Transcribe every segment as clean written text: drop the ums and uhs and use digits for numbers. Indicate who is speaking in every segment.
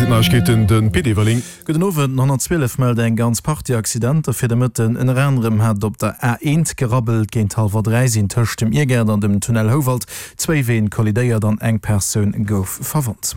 Speaker 1: sinn d'Neiegkeeten, de Pit Everling.
Speaker 2: Gudden Owend. Den 112 mellt eng ganz Partie Accidenter fir de Mëtten. Ënner anerem hat et op der A1 gerabbelt. Géint hallwer 3 sinn tëscht dem Iergaart an dem Tunnel Houwald zwéi Ween kollidéiert an eng Persoun gouf verwonnt.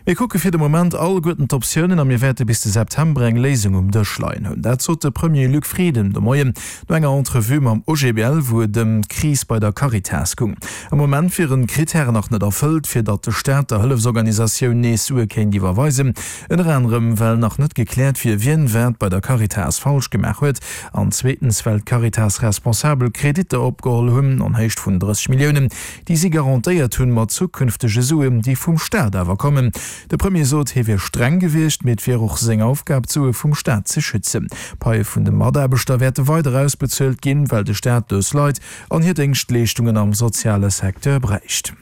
Speaker 2: Mir kucke fir de Moment alleguerten d'Optiounen a mir wäerte bis de September eng Léisung um Dësch leien hunn. Dat sot de Premier Luc Frieden de Moien no enger Entrevue mam OGBL, wou et ëm d'Kris bei der Caritas goung. Am Moment wieren d'Krittären nach net erfëllt, fir datt de Staat der Hëllefsorganisatioun nees Sue kéint iwwerweisen. Ënner anerem well nach net gekläert wier, wien wat bei der Caritas falsch gemaach huet an zweetens well d'Caritas-Responsabel Kreditter opgeholl hunn an Héicht vun 30 Milliounen, déi si garantéiert hunn mat zukünftege Suen, déi vum Staat awer kommen. De Premier sot, hie wier streng gewiescht, mee et wier och seng Aufgab, d'Sue vum Staat ze schützen. D'Paie vun de Mataarbechter wäerte weider ausbezuelt ginn, well de Staat dës Leit an hir Déngschtleeschtungen am soziale Secteur bräicht.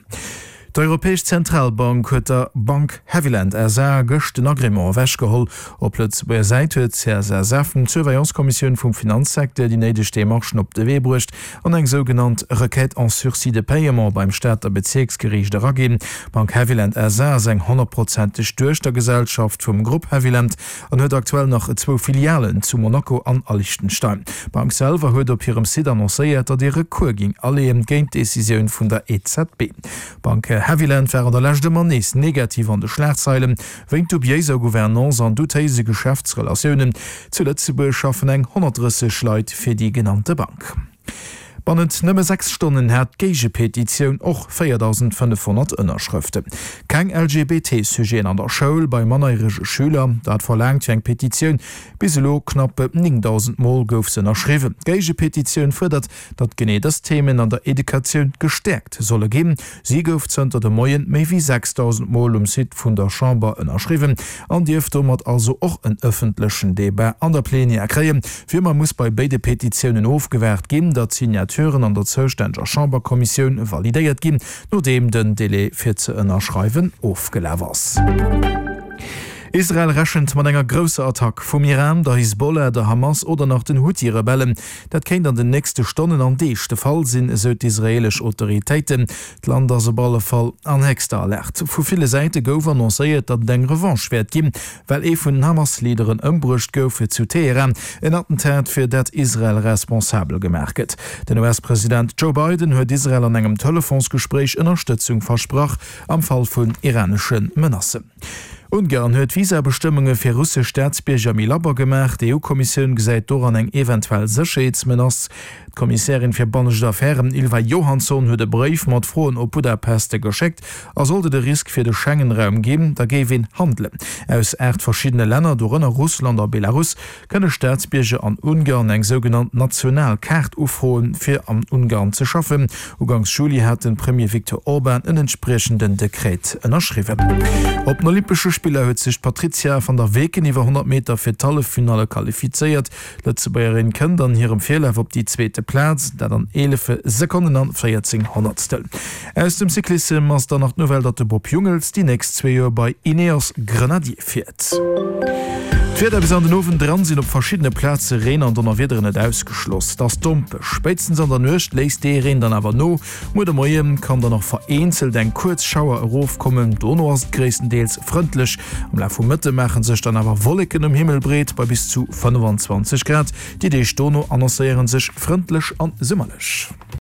Speaker 2: D'Europäesch Zentralbank huet der Bank Haviland SA gëscht den Agrément ewechgeholl. Op Lëtzebuerger Säit huet d'CSSF, d'Surveillance-Kommissioun vum Finanzsecteur, déi néideg Demarchen op de Wee bruecht an eng sougenannt Requête en sursis de paiement beim Stater Bezierksgeriicht eraginn. D'Bank Haviland SA ass eng honnertprozenteg Duechtergesellschaft vum Grupp Haviland an huet aktuell nach zwou Filialen zu Monaco an a Liechtenstein. D'Bank selwer huet op hirem Site annoncéiert, datt ee Recours géing aleeën géint d'Decisioun vun der EZB. D'Bank Haviland war an der Lescht ëmmer nees negativ an de Schlagzeilen, wéint dubiéiser Gouvernance an doutéise Geschäftsrelatiounen. Zu Lëtzebuerg schaffen eng 130 Leit fir déi genannte Bank. Bannent nëmme 6 Stonnen hat d'Géigepetitioun och 4.500 Ënnerschrëften. Keng LGBT-Sujeten an der Schoul bei mannerjärege Schüler, dat verlaangt fir eng Petitioun. Bis elo knapp 9.000 Mol gouf se ënnerschriwwen. D'Géigepetitioun fuerdert, datt genee dës Themen an der Educatioun gestäerkt solle ginn. Si gouf zënter de Moien méi wéi 6.000 Mol um Site vun der Chamber ënnerschriwwen an dierft domat also och en ëffentlechen Debat an der Plenière kréien. Wéi ëmmer muss bei béide Petitiounen ofgewaart ginn, datt d'Signaturen an der zoustänneger Chamberkommissioun validéiert ginn, nodeem den Delai fir ze ënnerschreiwen ofgelaf ass. Israel rechent mat enger grousser Attack vum Iran, der Hisbollah, der Hamas oder nach den Huthi-Rebellen. Dat kéint an den nächste Stonnen an Deeg de Fall sinn, esou d'israeelesch Autoritéiten. D'Land ass op alle Fall an héchster Alerte. Vu ville Säite gouf annoncéiert, datt et eng Revanche wäert ginn, well ee vun den Hamas-Leaderen ëmbruecht gouf zu Teheran. En Attentat, fir dat Israel responsabel gemaach gëtt. Den US-President Joe Biden huet Israel an engem Telefonsgespréich Ënnerstëtzung versprach am Fall vun iranesche Menacen. Ungarn huet d'Visabestëmmunge fir russesch Staatsbierger méi labber gemaach. D'EU-Kommissioun gesäit doran eng eventuell Sécherheetsmenace. D'Kommissärin fir bannescht Affären Ylva Johansson huet e Bréif mat Froen op Budapest geschéckt. A sollt et e Risk fir de Schengen-Raum ginn, da géif een handelen. Aus 8 verschiddene Länner, dorënner Russland a Belarus, kënne Staatsbierger an Ungarn eng sougenannt national Kaart ufroen, fir an Ungarn ze schaffen. Uganks Juli hat de Premier Viktor Orban en entspriechenden Dekret ënnerschriwwen. Op den Olympesche Spiller huet sech d'Patrizia van der Weken iwwer 100 Meter fir d'Halleffinalle qualifizéiert. D'Lëtzebuergerin kënnt an hirem Virlaf op déi zweete Plaz, dat an 11 Sekonnen an 14 Honnertstel. Aus dem Cyclissem ass dann nach d'Nouvelle, datt de Bob Jungels déi nächst zwee Joer bei Ineos Grenadier fiert. D'Wieder, Bis an den Owend eran sinn op verschiddene Plaze Reen an Donnerwiederen net ausgeschloss. Et ass dompeg, spéitstens an der Nuecht léisst dee Reen dann awer no. Muer de Moie kann dann och vereenzelt eng kuerz Schauer erofkommen, dono ass et gréisstendeels frëndlech. Am Laf vum Mëtte maache sech dann awer Wolleken um Himmel breet bei bis zu 25 Grad. Déi Deeg dono annoncéiere sech frëndlech an summerlech.